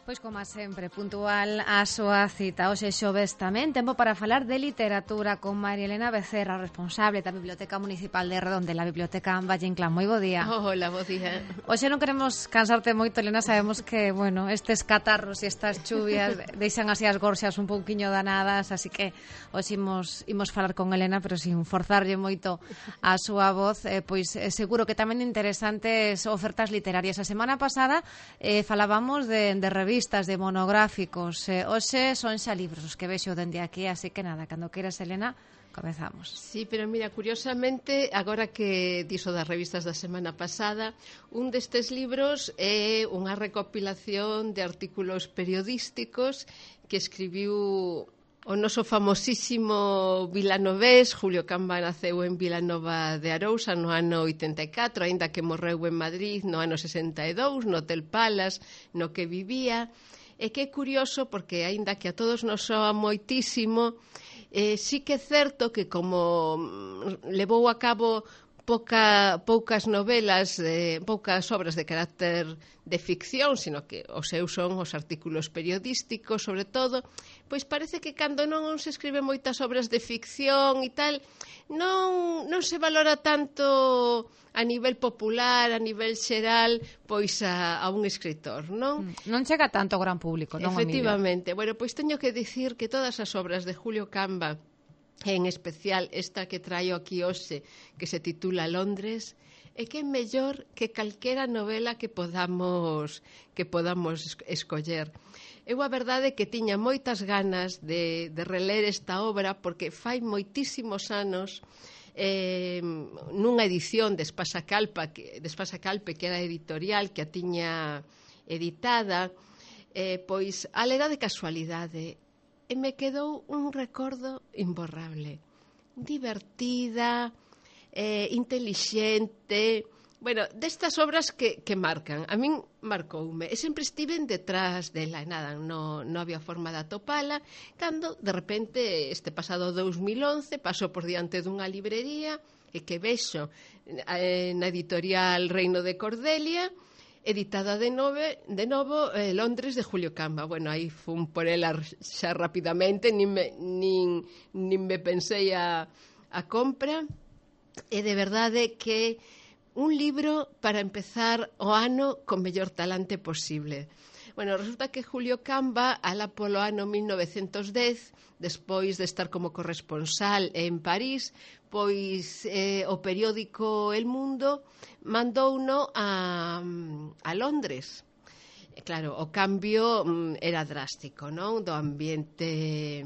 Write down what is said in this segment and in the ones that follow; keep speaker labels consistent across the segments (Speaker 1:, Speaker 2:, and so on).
Speaker 1: Pois como sempre, puntual a súa cita. Hoxe xoves tamén, tempo para falar de literatura con María Elena Becerra, responsable da Biblioteca Municipal de Redondela, Biblioteca Valle Inclán. Moi bo día.
Speaker 2: Hola, bo día.
Speaker 1: Hoxe non queremos cansarte moito, Elena, sabemos que, bueno, estes catarros e estas chuvias deixan así as gorxas un pouquiño danadas, así que hoxe imos falar con Elena, pero sin forzarlle moito a súa voz, pois seguro que tamén interesantes ofertas literarias. A semana pasada falábamos de revistas, de monográficos. Hoxe son xa libros os que vexo dende aquí, así que nada, cando queiras, Elena, comezamos.
Speaker 2: Sí, pero mira, curiosamente, agora que dixo das revistas da semana pasada, un destes libros é unha recopilación de artículos periodísticos que escribiu o noso famosísimo vilanovés. Julio Camba naceu en Vilanova de Arousa no ano 84, aínda que morreu en Madrid no ano 62, no Hotel Palace, no que vivía. E que é curioso porque, aínda que a todos nos soa moitísimo, sí que é certo que como levou a cabo poucas novelas, poucas obras de carácter de ficción, sino que os seus son os artículos periodísticos, sobre todo, pois parece que cando non se escribe moitas obras de ficción e tal, non se valora tanto a nivel popular, a nivel xeral, pois a un escritor, non?
Speaker 1: Non chega tanto ao gran público, non,
Speaker 2: Efectivamente. Bueno, pois teño que dicir que todas as obras de Julio Camba, en especial esta que traio aquí hoxe, que se titula Londres, é que é mellor que calquera novela que podamos escoller. Eu a verdade é que tiña moitas ganas de reler esta obra porque fai moitísimos anos, nunha edición de Espasa Calpe, que era editorial, que a tiña editada, pois a lera de casualidade, e me quedou un recordo imborrable. Divertida, intelixente, bueno, destas obras que marcan. A min marcoume, e sempre estiven detrás dela, e nada, non había forma de atopala, cando, de repente, este pasado 2011, pasou por diante dunha librería, e que vexo na editorial Reino de Cordelia, editada de novo Londres de Julio Camba. Bueno, aí fun por ela xa rapidamente, nin me pensei a compra, e de verdade que un libro para empezar o ano con mellor talante posible. Bueno, resulta que Julio Camba, alá polo ano 1910, despois de estar como corresponsal en París, pois o periódico El Mundo mandouno a Londres. Claro, o cambio era drástico, non? Do ambiente,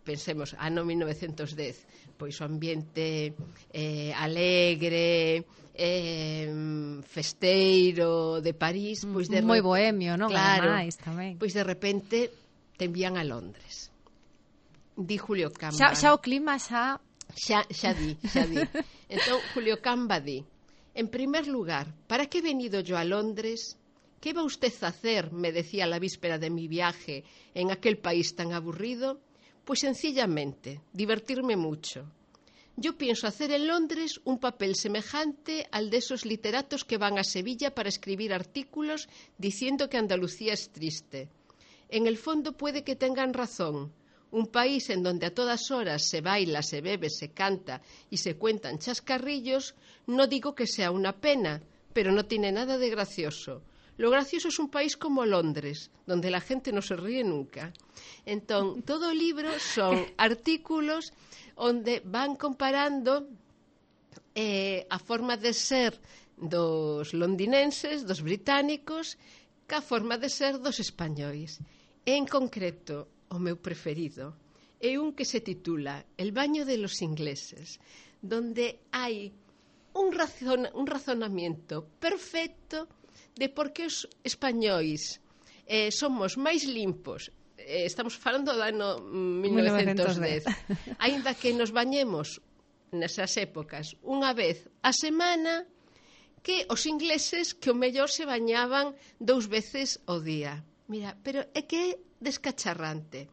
Speaker 2: pensemos, ano 1910, pois o ambiente alegre, festeiro de París, pois de
Speaker 1: moi bohemio, non?
Speaker 2: Claro,
Speaker 1: ademais, tamén.
Speaker 2: Pois de repente te envían a Londres. Di Julio Camba.
Speaker 1: Xa o clima xa
Speaker 2: di. Entón Julio Camba di: en primer lugar, ¿para qué he venido yo a Londres? ¿Qué va usted a hacer? Me decía la víspera de mi viaje en aquel país tan aburrido. Pues sencillamente, divertirme mucho. Yo pienso hacer en Londres un papel semejante al de esos literatos que van a Sevilla para escribir artículos diciendo que Andalucía es triste. En el fondo puede que tengan razón. Un país en donde a todas horas se baila, se bebe, se canta y se cuentan chascarrillos, no digo que sea una pena, pero no tiene nada de gracioso. Lo gracioso es un país como Londres, donde la gente no se ríe nunca. Entón, todo o libro son artículos onde van comparando a forma de ser dos londinenses, dos británicos, ca forma de ser dos españois. En concreto, o meu preferido é un que se titula El baño de los ingleses, donde hai un razonamiento perfecto de por que os españois somos máis limpos. Estamos falando do ano 1910. Aínda que nos bañemos nesas épocas unha vez a semana, que os ingleses que o mellor se bañaban 2 veces ao día. Mira, pero é que é descacharrante.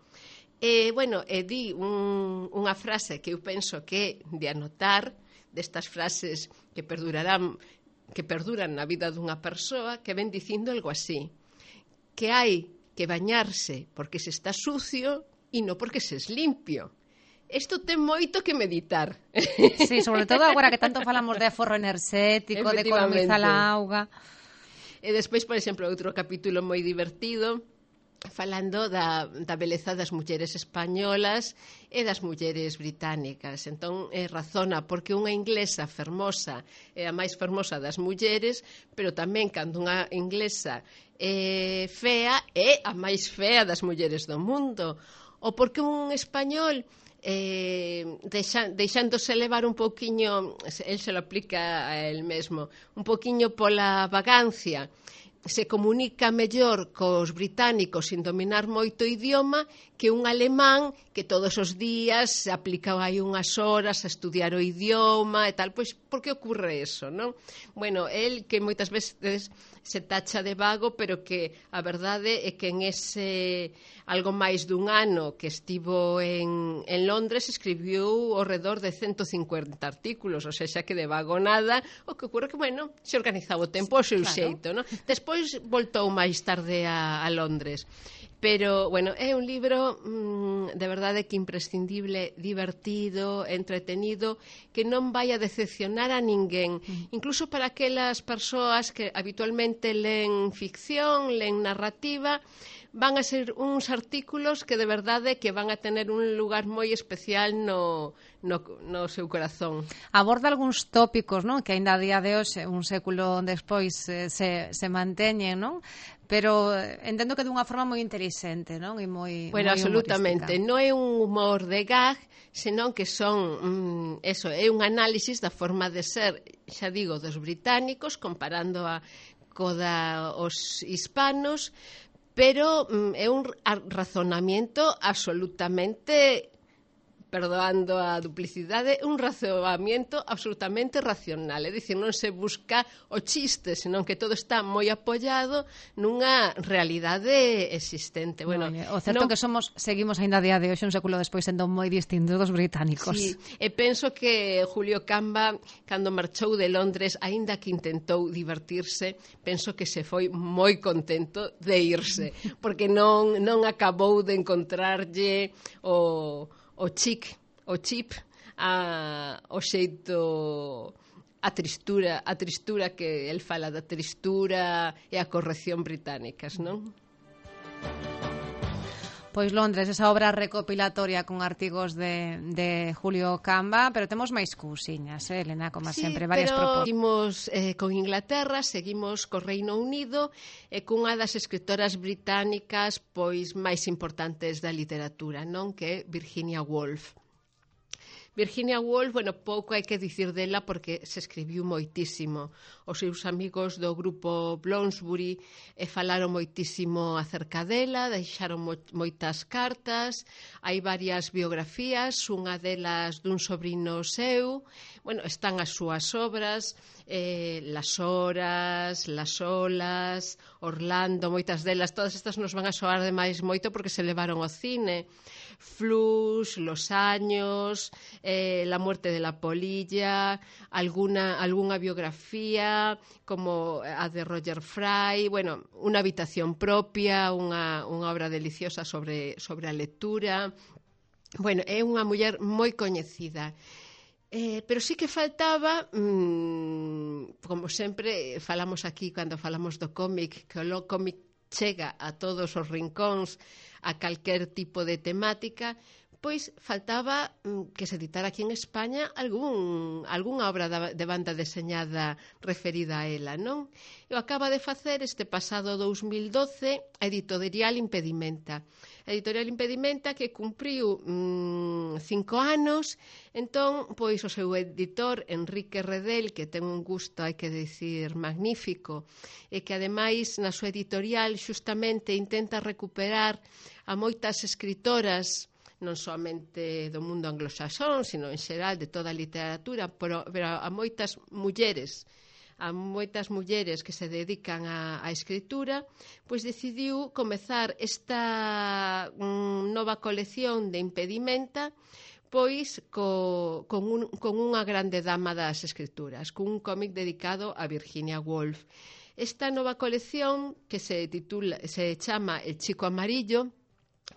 Speaker 2: Bueno, di unha frase que eu penso que de anotar, destas frases que perduran na vida dunha persoa, que ven dicindo algo así, que hai que bañarse porque se está sucio e non porque se es limpio. Isto ten moito que meditar.
Speaker 1: Sí, sobre todo agora que tanto falamos de aforro enerxético, de economizar a auga.
Speaker 2: E despois, por exemplo, outro capítulo moi divertido, falando da beleza das mulleres españolas e das mulleres británicas. Entón, razona porque unha inglesa fermosa é a máis fermosa das mulleres, pero tamén cando unha inglesa é fea é a máis fea das mulleres do mundo. Ou porque un español deixándose levar un pouquiño, el se lo aplica a el mesmo, un pouquiño pola vagancia, se comunica mellor cos británicos sin dominar moito o idioma que un alemán que todos os días se aplica aí unhas horas a estudiar o idioma e tal. Pois, por que ocurre eso, non? Bueno, el que moitas veces se tacha de vago, pero que a verdade é que en ese algo máis dun ano que estivo en Londres escribiu ao redor de 150 artículos, ou seja, que de vago nada. O que ocurre que, bueno, se organizaba o tempo ao seu xeito, non? Despois voltou máis tarde a Londres. Pero, bueno, é un libro de verdade que imprescindible, divertido, entretenido, que non vai a decepcionar a ninguén. Incluso para aquelas persoas que habitualmente len ficción, len narrativa, van a ser uns artículos que de verdade que van a tener un lugar moi especial no seu corazón.
Speaker 1: Aborda algúns tópicos, non? Que aínda a día de hoxe, un século despois, se manteñen, non? Pero entendo que dunha forma moi inteligente, non? E moi
Speaker 2: bueno,
Speaker 1: moi
Speaker 2: absolutamente.
Speaker 1: humorística.
Speaker 2: Non é un humor de gag, senón que son é un análisis da forma de ser, xa digo, dos británicos, comparando os hispanos, pero é un razonamiento absolutamente, perdoando a duplicidade, un razonamiento absolutamente racional. É dicir, non se busca o chiste, senón que todo está moi apoiado nunha realidade existente. Bueno,
Speaker 1: o certo que seguimos aínda a día de hoxe, un século despois, sendo moi distintos dos británicos.
Speaker 2: Sí, e penso que Julio Camba, cando marchou de Londres, aínda que intentou divertirse, penso que se foi moi contento de irse, porque non acabou de encontrarlle o chip, o xeito, a tristura que el fala da tristura e a corrección británicas, non?
Speaker 1: Pois Londres, esa obra recopilatoria con artigos de Julio Camba, pero temos máis cousiñas, Elena, como sempre, varias propostas.
Speaker 2: Seguimos con Inglaterra, seguimos co Reino Unido e cunha das escritoras británicas pois máis importantes da literatura, non? Que é Virginia Woolf. Virginia Woolf, bueno, pouco hai que dicir dela porque se escribiu moitísimo. Os seus amigos do grupo Bloomsbury falaron moitísimo acerca dela, deixaron moitas cartas, hai varias biografías, unha delas dun sobrino seu, bueno, están as súas obras, Las horas, Las olas, Orlando, moitas delas, todas estas nos van a soar demais moito porque se levaron ao cine. Flux, Los años, La muerte de la polilla, algunha biografía como a de Roger Fry, bueno, Una habitación propia, unha obra deliciosa sobre a lectura. Bueno, é unha muller moi coñecida. Pero sí que faltaba, como sempre falamos aquí cando falamos do cómic, que o cómic chega a todos os rincóns, a calquer tipo de temática, pois faltaba que se editara aquí en España algunha obra de banda deseñada referida a ela, non? E o acaba de facer este pasado 2012 a editorial Impedimenta. A editorial Impedimenta que cumpriu 5 anos, entón, pois o seu editor, Enrique Redel, que ten un gusto, hai que dicir, magnífico, e que ademais na súa editorial xustamente intenta recuperar a moitas escritoras non somente do mundo anglosaxón, sino en xeral de toda a literatura, pero a moitas mulleres que se dedican á escritura, pois decidiu comezar esta nova colección de Impedimenta pois con unha grande dama das escrituras, cun cómic dedicado a Virginia Woolf. Esta nova colección, que se chama El Chico Amarillo,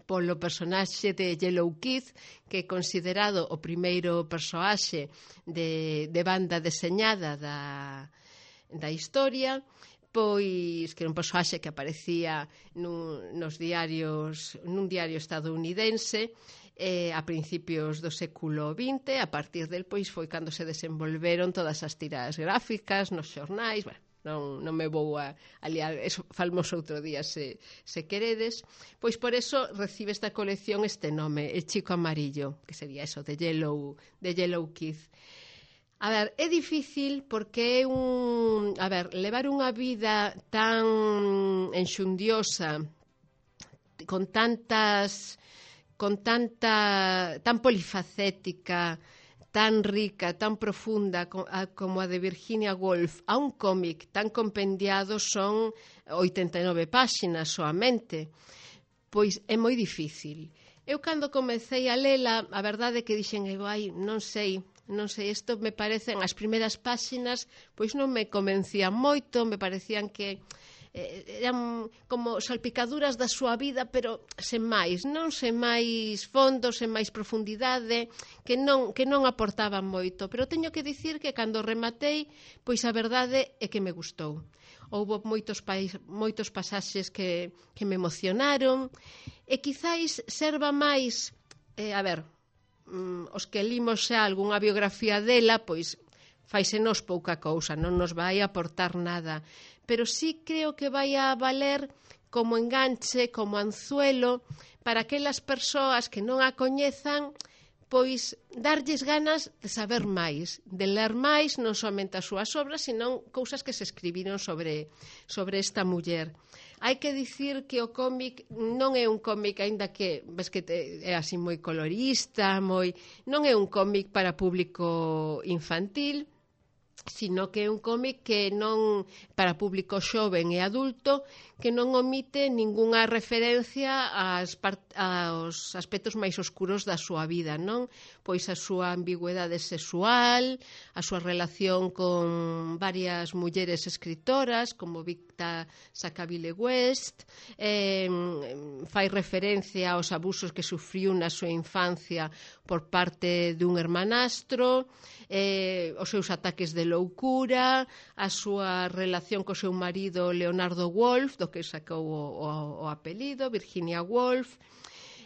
Speaker 2: polo personaxe de Yellow Kid, que é considerado o primeiro personaxe de banda deseñada da historia, pois que era un personaxe que aparecía nun diario estadounidense a principios do século XX. A partir del, pois, foi cando se desenvolveron todas as tiras gráficas nos xornais. Non me vou a liar, eso falamos outro día se queredes. Pois por eso recibe esta colección este nome, El Chico Amarillo, que sería eso, de Yellow Kid. A ver, é difícil porque é levar unha vida tan enxundiosa, tan polifacética, tan rica, tan profunda como a de Virginia Woolf, a un cómic tan compendiado, son 89 páxinas soamente. Pois é moi difícil. Eu cando comecei a lela, a verdade é que dixen, non sei, isto me parecen, as primeiras páxinas, pois non me convencían moito, me parecían que eran como salpicaduras da súa vida, pero sen máis fondo, sen máis profundidade, que non aportaban moito. Pero teño que dicir que cando rematei, pois a verdade é que me gustou. Houbo moitos pasaxes que me emocionaron, e quizáis serva máis, os que limos xa algunha biografía dela, pois faisenos pouca cousa, non nos vai aportar nada, pero sí creo que vai a valer como enganche, como anzuelo, para aquelas persoas que non a coñezan, pois darlles ganas de saber máis, de ler máis, non somente as súas obras, senón cousas que se escribiron sobre esta muller. Hai que dicir que o cómic non é un cómic, aínda que ves que é así moi colorista, non é un cómic para público infantil, sino que é un cómic que non para público xoven e adulto, que non omite ningunha referencia aos aspectos máis oscuros da súa vida, non? Pois a súa ambigüedade sexual, a súa relación con varias mulleres escritoras, como Victa Sackville West, fai referencia aos abusos que sufriu na súa infancia por parte dun hermanastro, os seus ataques de loucura, a súa relación co seu marido Leonardo Woolf, do que sacou o apelido, Virginia Woolf.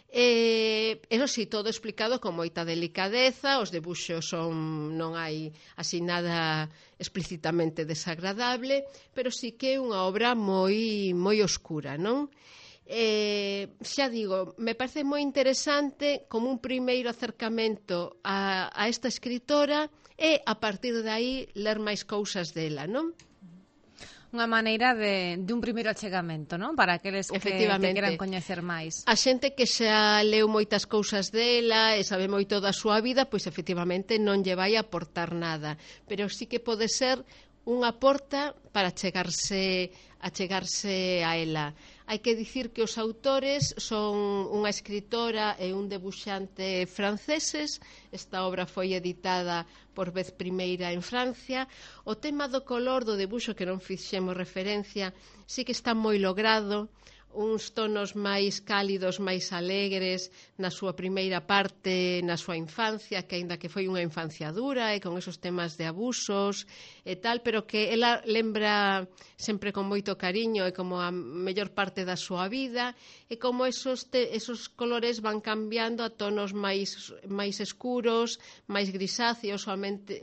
Speaker 2: Eso sí, todo explicado con moita delicadeza, os debuxos non hai así nada explícitamente desagradable, pero sí que é unha obra moi oscura, non? Xa digo, me parece moi interesante como un primeiro acercamento a esta escritora, e a partir de aí ler máis cousas dela, non?
Speaker 1: Unha maneira de un primeiro achegamento, non? Para aqueles que queran coñecer máis. A
Speaker 2: xente que xa leu moitas cousas dela e sabe moito da súa vida, pois efectivamente non lle vai aportar nada, pero sí que pode ser unha porta para achegarse a ela. Hai que dicir que os autores son unha escritora e un debuxante franceses. Esta obra foi editada por vez primeira en Francia. O tema do color do debuxo, que non fixemos referencia, sí que está moi logrado. Uns tonos máis cálidos, máis alegres na súa primeira parte, na súa infancia, que aínda que foi unha infancia dura e con esos temas de abusos e tal, pero que ela lembra sempre con moito cariño e como a mellor parte da súa vida, e como esos colores van cambiando a tonos máis escuros, máis grisáceos.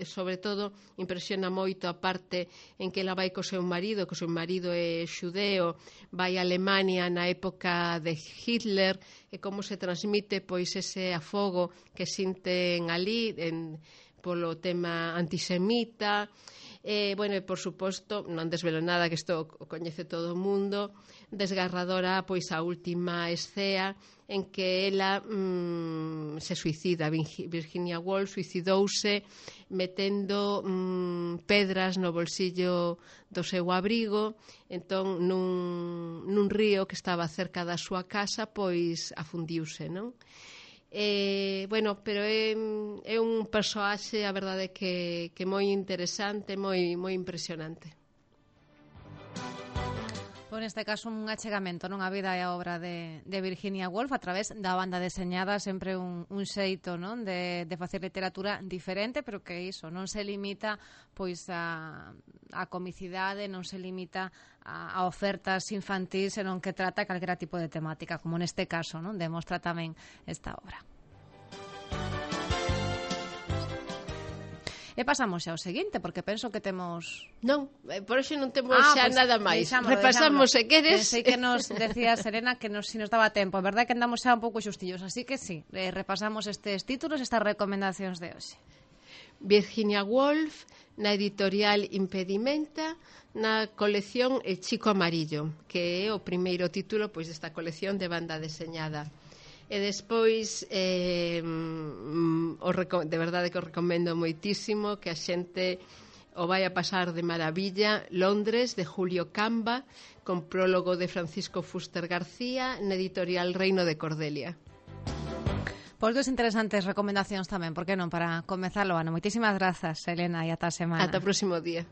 Speaker 2: Sobre todo impresiona moito a parte en que ela vai co seu marido, que o seu marido é xudeo, vai a Alemania na época de Hitler, e como se transmite pois ese afogo que sinten ali polo tema antisemita. Bueno, e por suposto, non desvelo nada, que isto o coñece todo o mundo, desgarradora pois a última escena en que ela se suicida. Virginia Woolf suicidouse metendo pedras no bolsillo do seu abrigo. Entón, nun río que estaba cerca da súa casa, pois afundiuse, non? Bueno, pero é un persoaxe, a verdade, que moi interesante, moi impresionante.
Speaker 1: Pois neste caso un achegamento non a vida e a obra de Virginia Woolf a través da banda deseñada, sempre un xeito, non, de facer literatura diferente, pero que iso non se limita pois a comicidade, non se limita a ofertas infantís, senón que trata calquera tipo de temática, como neste caso, non, demostra tamén esta obra. E pasamos xa ao seguinte, porque penso que temos...
Speaker 2: Non, por iso non temos xa
Speaker 1: pois,
Speaker 2: nada máis.
Speaker 1: deixámolo.
Speaker 2: Repasamos, se queres.
Speaker 1: Pensei que nos decía Serena que si nos daba tempo. A verdade é que andamos xa un pouco xustillos, así que sí, repasamos estes títulos, estas recomendacións de hoxe.
Speaker 2: Virginia Woolf, na editorial Impedimenta, na colección El Chico Amarillo, que é o primeiro título pois desta colección de banda deseñada. E despois de verdade que o recomendo moitísimo, que a xente o vai a pasar de maravilla. Londres, de Julio Camba, con prólogo de Francisco Fuster García, na editorial Reino de Cordelia.
Speaker 1: Pois dos interesantes recomendacións tamén, por que non, para comezar o ano. Moitísimas grazas, Elena, e ata a semana.
Speaker 2: Ata o próximo día.